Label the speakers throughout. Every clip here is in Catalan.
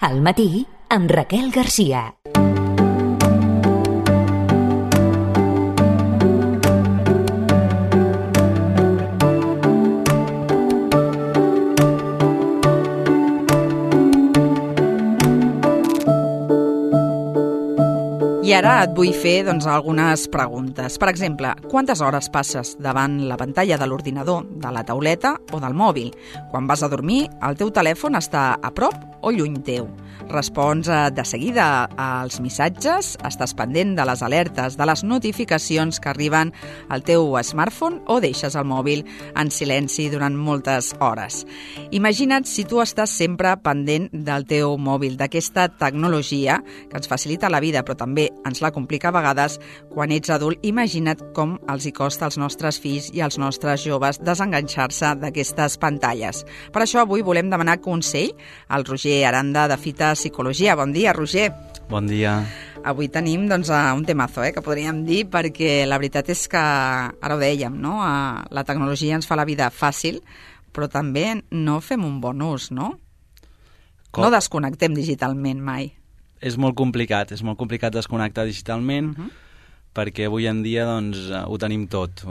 Speaker 1: Al matí, amb Raquel Garcia.
Speaker 2: I ara et vull fer algunes preguntes. Per exemple, quantes hores passes davant la pantalla de l'ordinador, de la tauleta o del mòbil? Quan vas a dormir, el teu telèfon està a prop o lluny teu? Respons de seguida als missatges? Estàs pendent de les alertes, de les notificacions que arriben al teu smartphone o deixes el mòbil en silenci durant moltes hores? Imagina't si tu estàs sempre pendent del teu mòbil, d'aquesta tecnologia que ens facilita la vida, però també ens la complica a vegades. Quan ets adult, imagina't com els hi costa als nostres fills i als nostres joves desenganxar-se d'aquestes pantalles. Per això avui volem demanar consell al Roger Aranda de Fita Psicologia. Bon dia, Roger.
Speaker 3: Bon dia.
Speaker 2: Avui tenim un temazo, que podríem dir, perquè la veritat és que, ara ho dèiem, no? La tecnologia ens fa la vida fàcil, però també no fem un bon ús, no? No desconnectem digitalment mai.
Speaker 3: És molt complicat desconnectar digitalment, perquè avui en dia ho tenim tot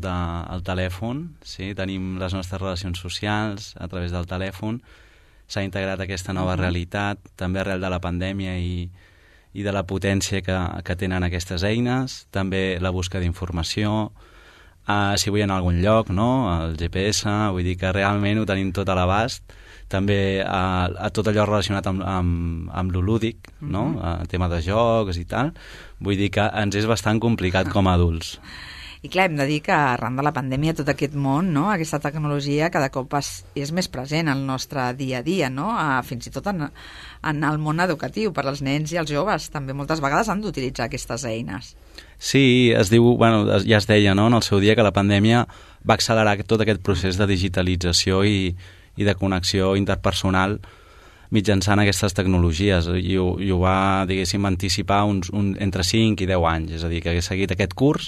Speaker 3: al telèfon, sí? Tenim les nostres relacions socials a través del telèfon, s'ha integrat aquesta nova realitat, també arrel de la pandèmia i de la potència que tenen aquestes eines, també la busca d'informació, si vull anar a algun lloc, no? El GPS, vull dir que realment ho tenim tot a l'abast, també a tot allò relacionat amb lo lúdic, no? El tema de jocs i tal. Vull dir que ens és bastant complicat com a adults.
Speaker 2: I clar, hem de dir que arran de la pandèmia tot aquest món, no? Aquesta tecnologia cada cop és més present al nostre dia a dia, no? Fins i tot en el món educatiu, per als nens i els joves també moltes vegades han d'utilitzar aquestes eines.
Speaker 3: Sí, es diu, ja es deia, no? En el seu dia que la pandèmia va accelerar tot aquest procés de digitalització i de connexió interpersonal mitjançant aquestes tecnologies, i ho va, diguéssim, anticipar entre 5 i 10 anys, és a dir, que hagués seguit aquest curs,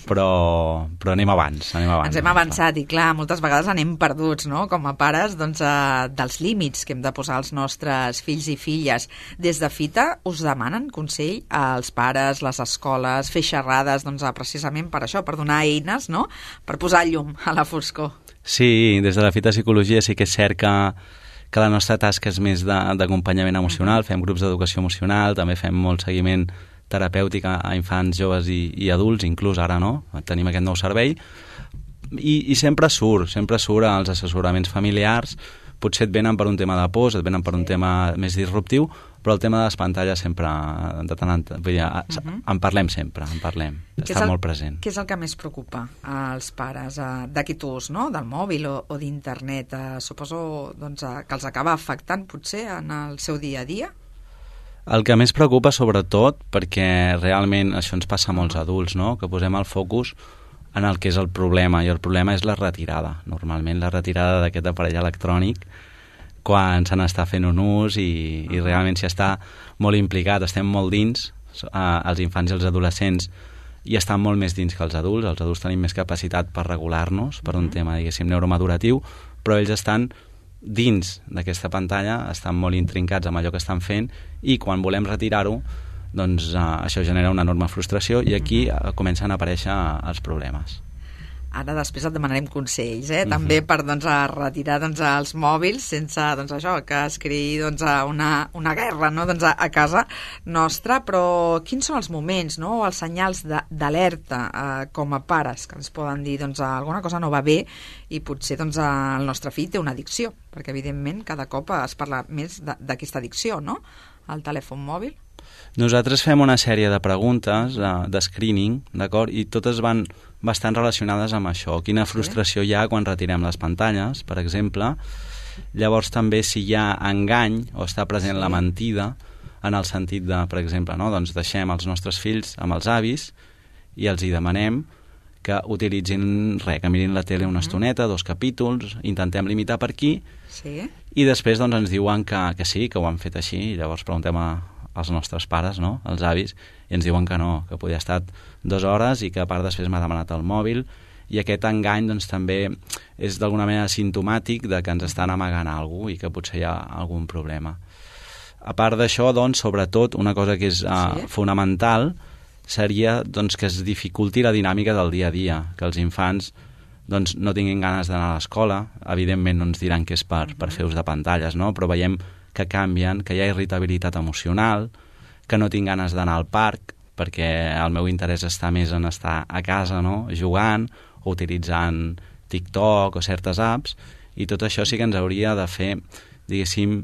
Speaker 3: però anem abans.
Speaker 2: Ens hem avançat i, clar, moltes vegades anem perduts, no?, com a pares, dels límits que hem de posar als nostres fills i filles. Des de Fita us demanen consell als pares, les escoles, fer xerrades, precisament per això, per donar eines, no?, per posar llum a la foscor.
Speaker 3: Sí, des de la Fita Psicologia sí que és cert que la nostra tasca és més d'acompanyament emocional, fem grups d'educació emocional, també fem molt seguiment terapèutic a infants, joves i adults, inclús ara no, tenim aquest nou servei, i sempre surt als assessoraments familiars, potser et venen per un tema de por, et venen per un tema més disruptiu, però el tema de les pantalles sempre, de tant en tant, en parlem sempre, està molt present.
Speaker 2: Què és el que més preocupa als pares d'aquest ús, no?, del mòbil o d'internet? Suposo que els acaba afectant potser en el seu dia a dia?
Speaker 3: El que més preocupa sobretot, perquè realment això ens passa a molts adults, no?, que posem el focus en el que és el problema, i el problema és la retirada, normalment la retirada d'aquest aparell electrònic quan se n'està fent un ús i realment s'hi està molt implicat, estem molt dins, els infants i els adolescents i estan molt més dins que els adults tenim més capacitat per regular-nos per un tema, diguéssim, neuromaduratiu, però ells estan dins d'aquesta pantalla, estan molt intrincats amb allò que estan fent i quan volem retirar-ho, això genera una enorme frustració i aquí comencen a aparèixer els problemes.
Speaker 2: Ara després et demanarem consells, també per retirar els mòbils sense això, que es creï una guerra, no?, a casa nostra, però quins són els moments, no?, o els senyals d'alerta com a pares que ens poden dir alguna cosa no va bé i potser el nostre fill té una addicció, perquè evidentment cada cop es parla més d'aquesta addicció, no?, al telèfon mòbil.
Speaker 3: Nosaltres fem una sèrie de preguntes de screening, d'acord? I totes van bastant relacionades amb això. Quina frustració hi ha quan retirem les pantalles, per exemple. Llavors també si hi ha engany o està present la mentida, en el sentit de, per exemple, no? Deixem els nostres fills amb els avis i els hi demanem que utilitzin que mirin la tele una estoneta, 2 capítols, intentem limitar per aquí, i després ens diuen que sí, que ho han fet així, i llavors preguntem als nostres pares, no?, als avis, i ens diuen que no, que podia estar 2 hores i que a part després m'ha demanat el mòbil, i aquest engany també és d'alguna manera simptomàtic de que ens estan amagant alguna cosa i que potser hi ha algun problema. A part d'això, doncs, sobretot, una cosa que és fonamental seria doncs, que es dificulti la dinàmica del dia a dia, que els infants doncs, no tinguin ganes d'anar a l'escola. Evidentment no ens diran que és per fer ús de pantalles, no? Però veiem que canvien, que hi ha irritabilitat emocional, que no tinc ganes d'anar al parc perquè el meu interès està més en estar a casa, no? Jugant o utilitzant TikTok o certes apps, i tot això sí que ens hauria de fer, diguéssim,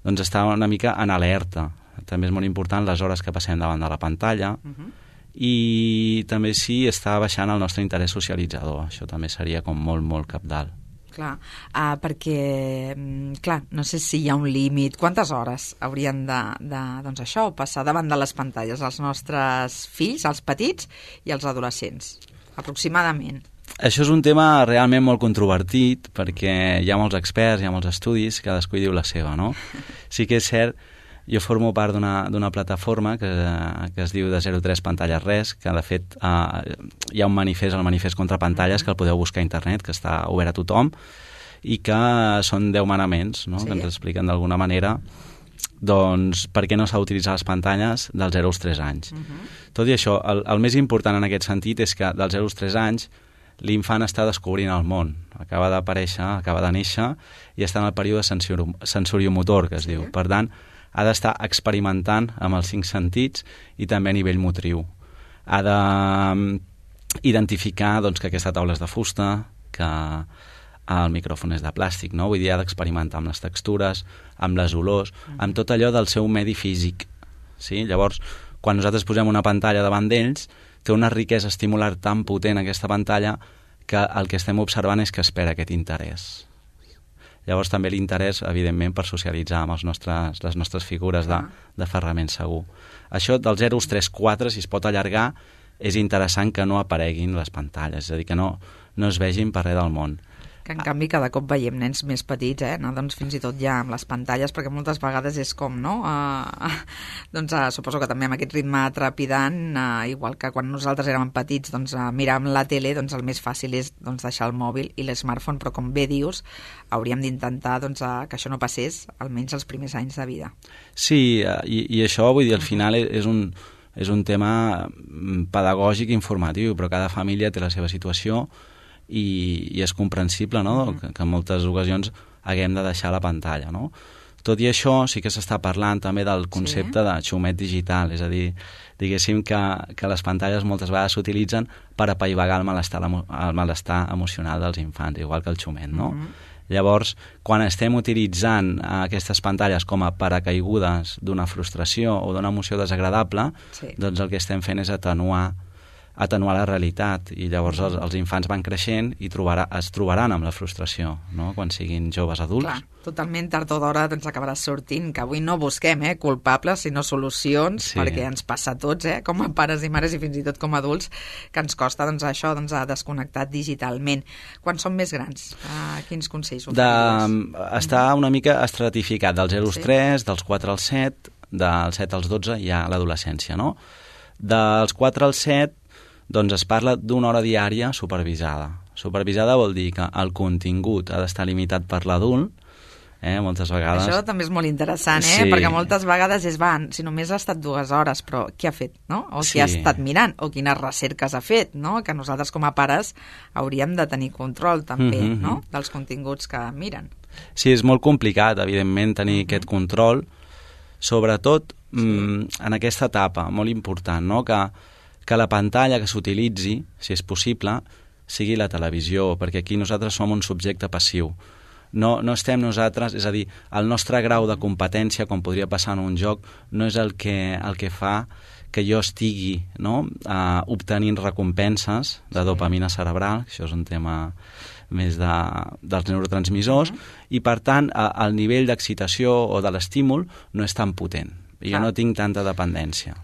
Speaker 3: doncs estar una mica en alerta. També és molt important les hores que passem davant de la pantalla, i també sí està baixant el nostre interès socialitzador. Això també seria com molt, molt cabdal.
Speaker 2: Clar, perquè, clar, no sé si hi ha un límit. Quantes hores haurien de doncs això, passar davant de les pantalles els nostres fills, els petits i els adolescents, aproximadament?
Speaker 3: Això és un tema realment molt controvertit, perquè hi ha molts experts, hi ha molts estudis, cadascú hi diu la seva, no? Sí que és cert. Jo formo part d'una plataforma que es diu de 03 pantalles res, que de fet hi ha un manifest, el manifest contra pantalles, que el podeu buscar a internet, que està obert a tothom, i que són 10 manaments, no? Que ens expliquen d'alguna manera doncs, per què no s'ha d'utilitzar les pantalles dels 0 als 3 anys. Tot i això, el més important en aquest sentit és que dels 0 als 3 anys l'infant està descobrint el món, acaba d'aparèixer, acaba de néixer, i està en el període sensoriomotor, que es diu. Per tant, ha d'estar experimentant amb els 5 sentits i també a nivell motriu. Ha d'identificar doncs, que aquesta taula és de fusta, que el micròfon és de plàstic, no? Vull dir, ha d'experimentar amb les textures, amb les olors, amb tot allò del seu medi físic. Sí? Llavors, quan nosaltres posem una pantalla davant d'ells, té una riquesa estimular tan potent aquesta pantalla que el que estem observant és que espera aquest interès. Llavors també l'interès, evidentment, per socialitzar amb les nostres figures de ferrament segur. Això dels 0 als 3, 4, si es pot allargar, és interessant que no apareguin les pantalles, és a dir, que no es vegin per res del món.
Speaker 2: Que en canvi cada cop veiem nens més petits, no? Doncs fins i tot ja amb les pantalles, perquè moltes vegades és com, no? Doncs suposo que també amb aquest ritme trepidant, igual que quan nosaltres érem petits, doncs mirar amb la tele, doncs el més fàcil és doncs, deixar el mòbil i l'smartphone, però com bé dius, hauríem d'intentar doncs, que això no passés, almenys els primers anys de vida.
Speaker 3: Sí, i això, vull dir, al final és un tema pedagògic i informatiu, però cada família té la seva situació, i és comprensible, no? Que en moltes ocasions haguem de deixar la pantalla, no? Tot i això, sí que s'està parlant també del concepte de xumet digital, és a dir, diguéssim que les pantalles moltes vegades s'utilitzen per apaivagar el malestar emocional dels infants, igual que el xumet, no? Llavors, quan estem utilitzant aquestes pantalles com a paracaigudes d'una frustració o d'una emoció desagradable, doncs el que estem fent és atenuar la realitat, i llavors els infants van creixent i es trobaran amb la frustració, no? Quan siguin joves adults.
Speaker 2: Clar, totalment tard o d'hora doncs acabarà sortint, que avui no busquem culpables, sinó solucions, perquè ens passa a tots, com a pares i mares i fins i tot com a adults, que ens costa doncs, això a desconnectar digitalment. Quan som més grans, quins consells ofereixes?
Speaker 3: Està una mica estratificat, dels 0 als 3, dels 4 als 7, dels 7 als 12 hi ha l'adolescència, no? Dels 4 als 7 doncs es parla d'una hora diària supervisada. Supervisada vol dir que el contingut ha d'estar limitat per l'adult, moltes vegades...
Speaker 2: Això també és molt interessant, perquè moltes vegades si només ha estat 2 hores, però què ha fet, no? O si ha estat mirant, o quines recerques ha fet, no? Que nosaltres com a pares hauríem de tenir control també, no? Dels continguts que miren.
Speaker 3: Sí, és molt complicat, evidentment, tenir aquest control, sobretot en aquesta etapa, molt important, no? Que la pantalla que s'utilitzi, si és possible, sigui la televisió, perquè aquí nosaltres som un subjecte passiu. No estem nosaltres, és a dir, el nostre grau de competència, com podria passar en un joc, no és el que fa que jo estigui obtenint recompenses de dopamina cerebral, això és un tema més dels neurotransmissors, i per tant el nivell d'excitació o de l'estímul no és tan potent. Jo no tinc tanta dependència.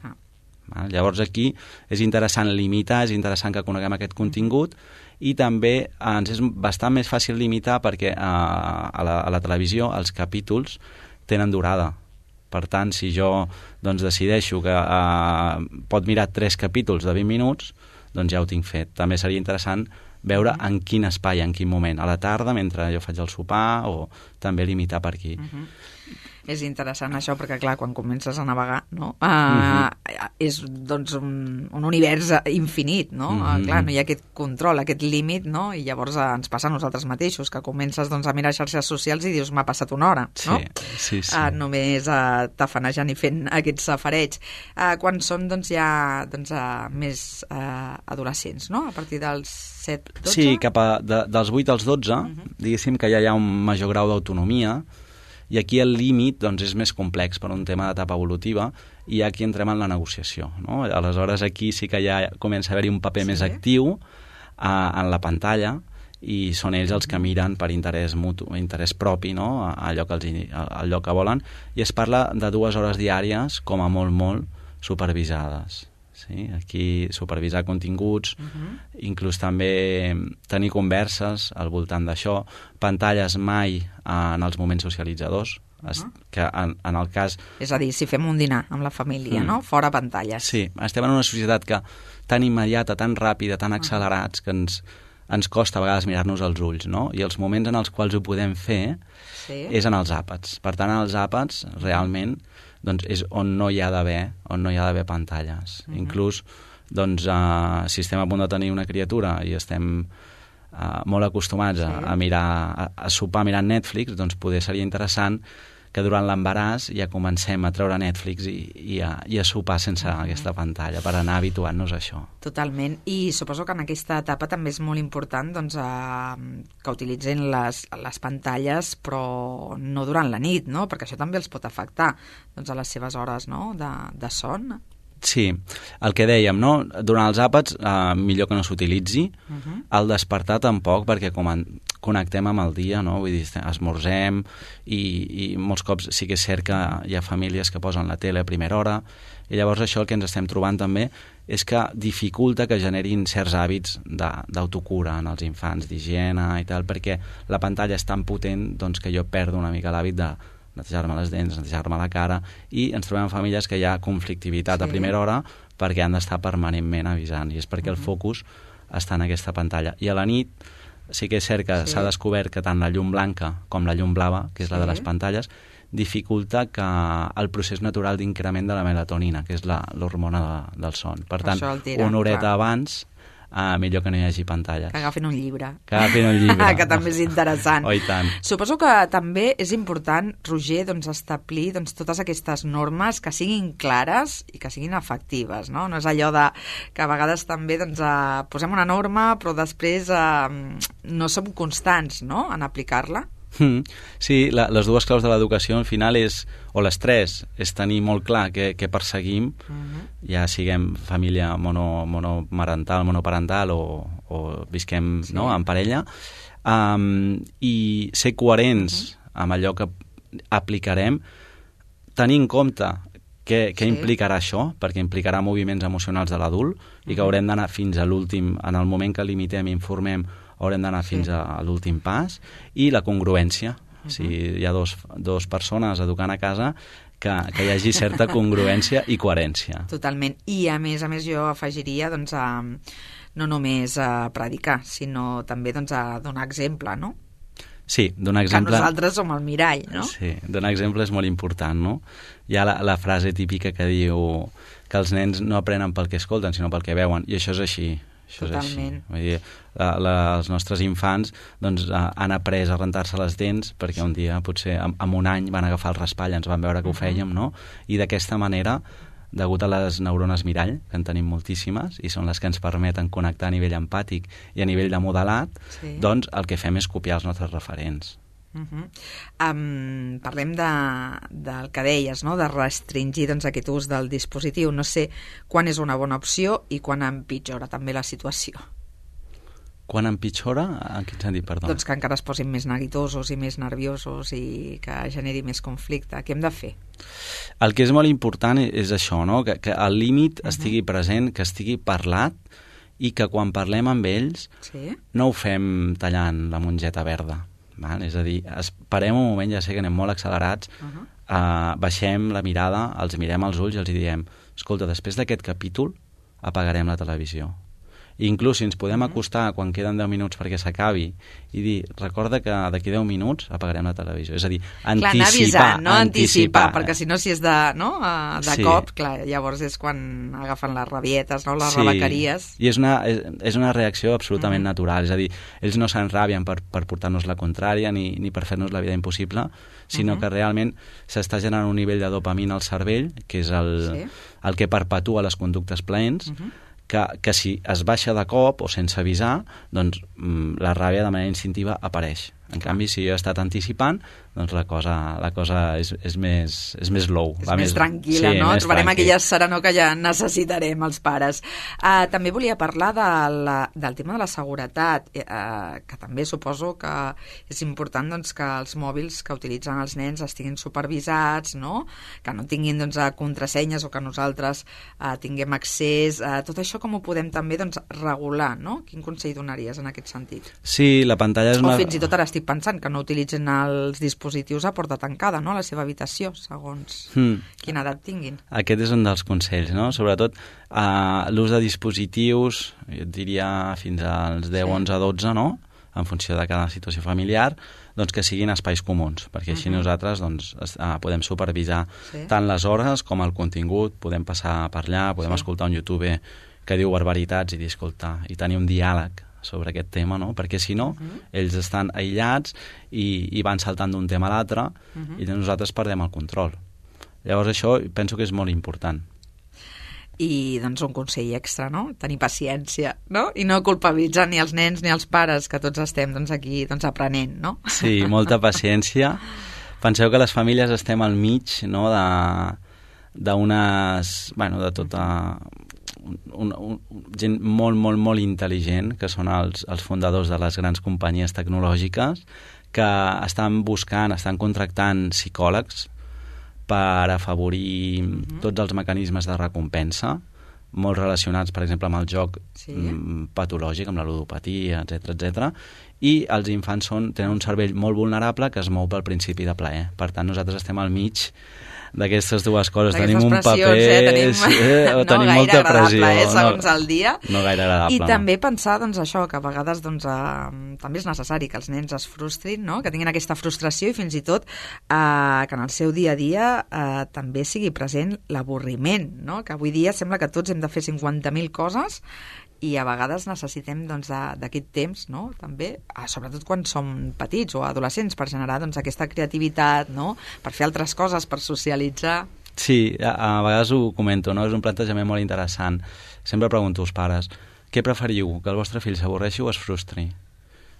Speaker 3: Llavors aquí és interessant limitar, és interessant que coneguem aquest contingut, i també ens és bastant més fàcil limitar perquè a la televisió els capítols tenen durada. Per tant, si jo decideixo que pot mirar 3 capítols de 20 minuts, doncs ja ho tinc fet. També seria interessant veure en quin espai, en quin moment, a la tarda, mentre jo faig el sopar, o també limitar per aquí.
Speaker 2: És interessant això, perquè clar, quan comences a navegar, no? És doncs un univers infinit, no? Clar, no hi ha aquest control, aquest límit, no? I llavors ens passa a nosaltres mateixos, que comences doncs, a mirar xarxes socials i dius, m'ha passat una hora, no?
Speaker 3: Sí.
Speaker 2: Només tafanejant i fent aquests safareigs. Quan són doncs, ja més adolescents, no? A partir dels 7, 12?
Speaker 3: Sí, dels 8 als 12, diguéssim que ja hi ha un major grau d'autonomia, i aquí el límit doncs, és més complex per un tema d'etapa evolutiva, i aquí entrem en la negociació, no? Aleshores aquí sí que ja comença a haver-hi un paper més actiu en la pantalla, i són ells els que miren per interès mutu, interès propi, no? allò que volen, i es parla de 2 hores diàries, com a molt supervisades. Sí? Aquí supervisar continguts, inclús també tenir converses al voltant d'això, pantalles mai en els moments socialitzadors, que en el cas...
Speaker 2: És a dir, si fem un dinar amb la família, no? Fora pantalles.
Speaker 3: Sí, estem en una societat que tan immediata, tan ràpida, tan accelerats, que ens costa a vegades mirar-nos als ulls, no? I els moments en els quals ho podem fer és en els àpats. Per tant, en els àpats, realment, doncs és on no hi ha d'haver pantalles. Inclús, doncs, si estem a punt de tenir una criatura i estem molt acostumats a mirar, a sopar mirant Netflix, doncs poder seria interessant que durant l'embaràs ja comencem a treure Netflix i a sopar sense aquesta pantalla, per anar habituant-nos a això.
Speaker 2: Totalment. I suposo que en aquesta etapa també és molt important doncs, que utilitzin les pantalles, però no durant la nit, no? Perquè això també els pot afectar doncs, a les seves hores, no? de son.
Speaker 3: Sí, el que dèiem, no? Durant els àpats millor que no s'utilitzi, al despertar tampoc, perquè connectem amb el dia, no? Vull dir, esmorzem i molts cops sí que és cert que hi ha famílies que posen la tele a primera hora, i llavors això el que ens estem trobant també és que dificulta que generin certs hàbits d'autocura en els infants, d'higiene i tal, perquè la pantalla és tan potent doncs, que jo perdo una mica l'hàbit de netejar-me les dents, netejar-me la cara, i ens trobem en famílies que hi ha conflictivitat a primera hora perquè han d'estar permanentment avisant, i és perquè el focus està en aquesta pantalla. I a la nit sí que és cert que s'ha descobert que tant la llum blanca com la llum blava, que és la de les pantalles, dificulta que el procés natural d'increment de la melatonina, que és l'hormona del son. Per tant, una horeta abans millor que no hi hagi pantalles.
Speaker 2: Que agafin un llibre.
Speaker 3: Que
Speaker 2: també és interessant.
Speaker 3: Oh, i tant.
Speaker 2: Suposo que també és important, Roger, doncs, establir totes aquestes normes que siguin clares i que siguin efectives, no? No és allò que a vegades també posem una norma però després no som constants, no?, en aplicar-la.
Speaker 3: Sí, les dues claus de l'educació al final o les tres, és tenir molt clar què perseguim, ja siguem família monoparental o visquem en parella, i ser coherents amb allò que aplicarem, tenir en compte què implicarà això, perquè implicarà moviments emocionals de l'adult i que haurem d'anar fins a l'últim, en el moment que limitem i informem, haurem d'anar fins a l'últim pas, i la congruència. Si hi ha dos persones educant a casa, que hi hagi certa congruència i coherència.
Speaker 2: Totalment. I a més jo afegiria no només a predicar, sinó també a donar exemple, no?
Speaker 3: Sí, donar exemple...
Speaker 2: Que nosaltres som el mirall, no?
Speaker 3: Sí, donar exemple és molt important, no? Hi ha la frase típica que diu que els nens no aprenen pel que escolten, sinó pel que veuen, i això és així.
Speaker 2: Totalment.
Speaker 3: Vull dir, els nostres infants doncs, han après a rentar-se les dents perquè un dia, potser en un any, van agafar el raspall, ens van veure que ho fèiem, no? I d'aquesta manera, degut a les neurones mirall, que en tenim moltíssimes, i són les que ens permeten connectar a nivell empàtic i a nivell de modelat, doncs el que fem és copiar els nostres referents.
Speaker 2: Parlem del que deies, no? De restringir aquest ús del dispositiu. No sé quan és una bona opció i quan empitjora també la situació.
Speaker 3: Quan empitjora? En quin sentit, perdó?
Speaker 2: Doncs que encara es posin més neguitosos i més nerviosos i que generi més conflicte. Què hem de fer?
Speaker 3: El que és molt important és això, no? Que el límit estigui present, que estigui parlat, i que quan parlem amb ells no ho fem tallant la mongeta verda. És a dir, esperem un moment, ja sé que anem molt accelerats, baixem la mirada, els mirem als ulls i els diem: escolta, després d'aquest capítol apagarem la televisió. I inclús si ens podem acostar quan queden 10 minuts perquè s'acabi i dir, recorda que d'aquí 10 minuts apagarem la televisió. És a dir, anticipar.
Speaker 2: Clar, anticipar, perquè si no, si és de
Speaker 3: Sí.
Speaker 2: cop, clar, llavors és quan agafen les rabietes, no? Les rebequeries.
Speaker 3: I és una reacció absolutament natural. És a dir, ells no s'enrabien per portar-nos la contrària ni per fer-nos la vida impossible, sinó que realment s'està generant un nivell de dopamina al cervell, que és el que perpetua les conductes plaents, que si es baixa de cop o sense avisar, doncs la ràbia de manera instintiva apareix. En canvi, si jo he estat anticipant, doncs la cosa és més low.
Speaker 2: És més tranquil·la, no? Trobarem aquella serenor que ja necessitarem els pares. També volia parlar del tema de la seguretat, que també suposo que és important doncs, que els mòbils que utilitzen els nens estiguin supervisats, no? Que no tinguin doncs, contrasenyes o que nosaltres tinguem accés. Tot això com ho podem també doncs, regular, no? Quin consell donaries en aquest sentit?
Speaker 3: Sí, la pantalla és
Speaker 2: una... O fins i tot ara estic pensant que no utilitzen els dispositius a porta tancada, no?, a la seva habitació, segons quina edat tinguin.
Speaker 3: Aquest és un dels consells, no? Sobretot l'ús de dispositius, jo et diria fins als 10, 11, 12, no?, en funció de cada situació familiar, doncs que siguin espais comuns, perquè així nosaltres doncs, podem supervisar tant les hores com el contingut, podem passar per allà, podem escoltar un youtuber que diu barbaritats i dir, escolta, i tenir un diàleg sobre aquest tema, no? Perquè si no, ells estan aïllats i van saltant d'un tema a l'altre i nosaltres perdem el control. Llavors això penso que és molt important.
Speaker 2: I doncs un consell extra, no? Tenir paciència, no? I no culpabilitzar ni els nens ni els pares, que tots estem doncs, aquí doncs, aprenent, no?
Speaker 3: Sí, molta paciència. Penseu que les famílies estem al mig, no?, d'unes... bueno, de tota... gent molt intel·ligent, que són els fundadors de les grans companyies tecnològiques, que estan contractant psicòlegs per afavorir tots els mecanismes de recompensa, molt relacionats, per exemple, amb el joc patològic, amb la ludopatia, etc. I els infants tenen un cervell molt vulnerable que es mou pel principi de plaer. Per tant, nosaltres estem al mig d'aquestes dues coses. Tenim un paper... tenim molta pressió.
Speaker 2: Segons el dia.
Speaker 3: No gaire agradable.
Speaker 2: I també pensar, doncs, això, que a vegades doncs, també és necessari que els nens es frustrin, no?, que tinguin aquesta frustració i fins i tot que en el seu dia a dia també sigui present l'avorriment, no?, que avui dia sembla que tots hem de fer 50.000 coses i a vegades necessitem doncs, d'aquest temps, no?, també, sobretot quan som petits o adolescents, per generar doncs, aquesta creativitat, no?, per fer altres coses, per socialitzar.
Speaker 3: Sí, a vegades ho comento, no?, és un plantejament molt interessant. Sempre pregunto als pares, què preferiu, que el vostre fill s'avorreixi o es frustri?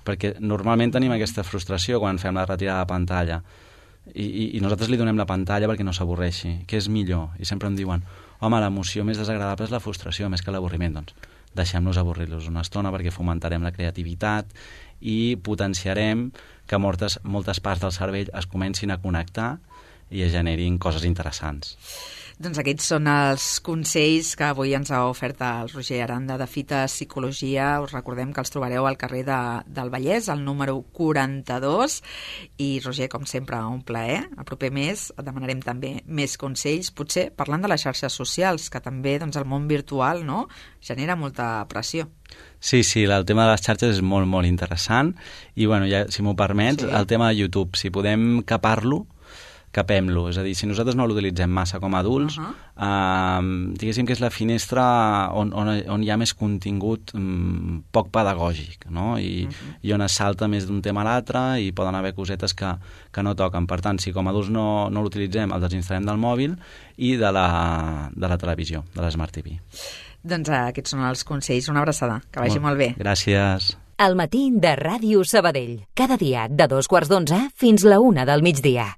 Speaker 3: Perquè normalment tenim aquesta frustració quan fem la retirada de pantalla i nosaltres li donem la pantalla perquè no s'avorreixi. Què és millor? I sempre em diuen, home, l'emoció més desagradable és la frustració més que l'avorriment. Doncs deixem-los avorrir-los una estona perquè fomentarem la creativitat i potenciarem que moltes parts del cervell es comencin a connectar i es generin coses interessants.
Speaker 2: Doncs aquests són els consells que avui ens ha ofert el Roger Aranda de Fita Psicologia. Us recordem que els trobareu al carrer del Vallès, al número 42. I, Roger, com sempre, un plaer. El proper mes demanarem també més consells, potser parlant de les xarxes socials, que també doncs, el món virtual, no?, genera molta pressió.
Speaker 3: Sí, el tema de les xarxes és molt interessant. I, bueno, ja, si m'ho permets, el tema de YouTube, si podem capem-lo, és a dir, si nosaltres no l'utilitzem massa com a adults, diguéssim que és la finestra on hi ha més contingut poc pedagògic, no?, i on es salta més d'un tema a l'altre i poden haver cosetes que no toquen. Per tant, si com a adults no l'utilitzem, el desinstal·lem del mòbil i de la televisió, de l'Smart TV.
Speaker 2: Doncs aquests són els consells. Una abraçada, que vagi molt bé.
Speaker 3: Gràcies.
Speaker 1: El matí de Ràdio Sabadell. Cada dia de 2:15 fins la 1 del migdia.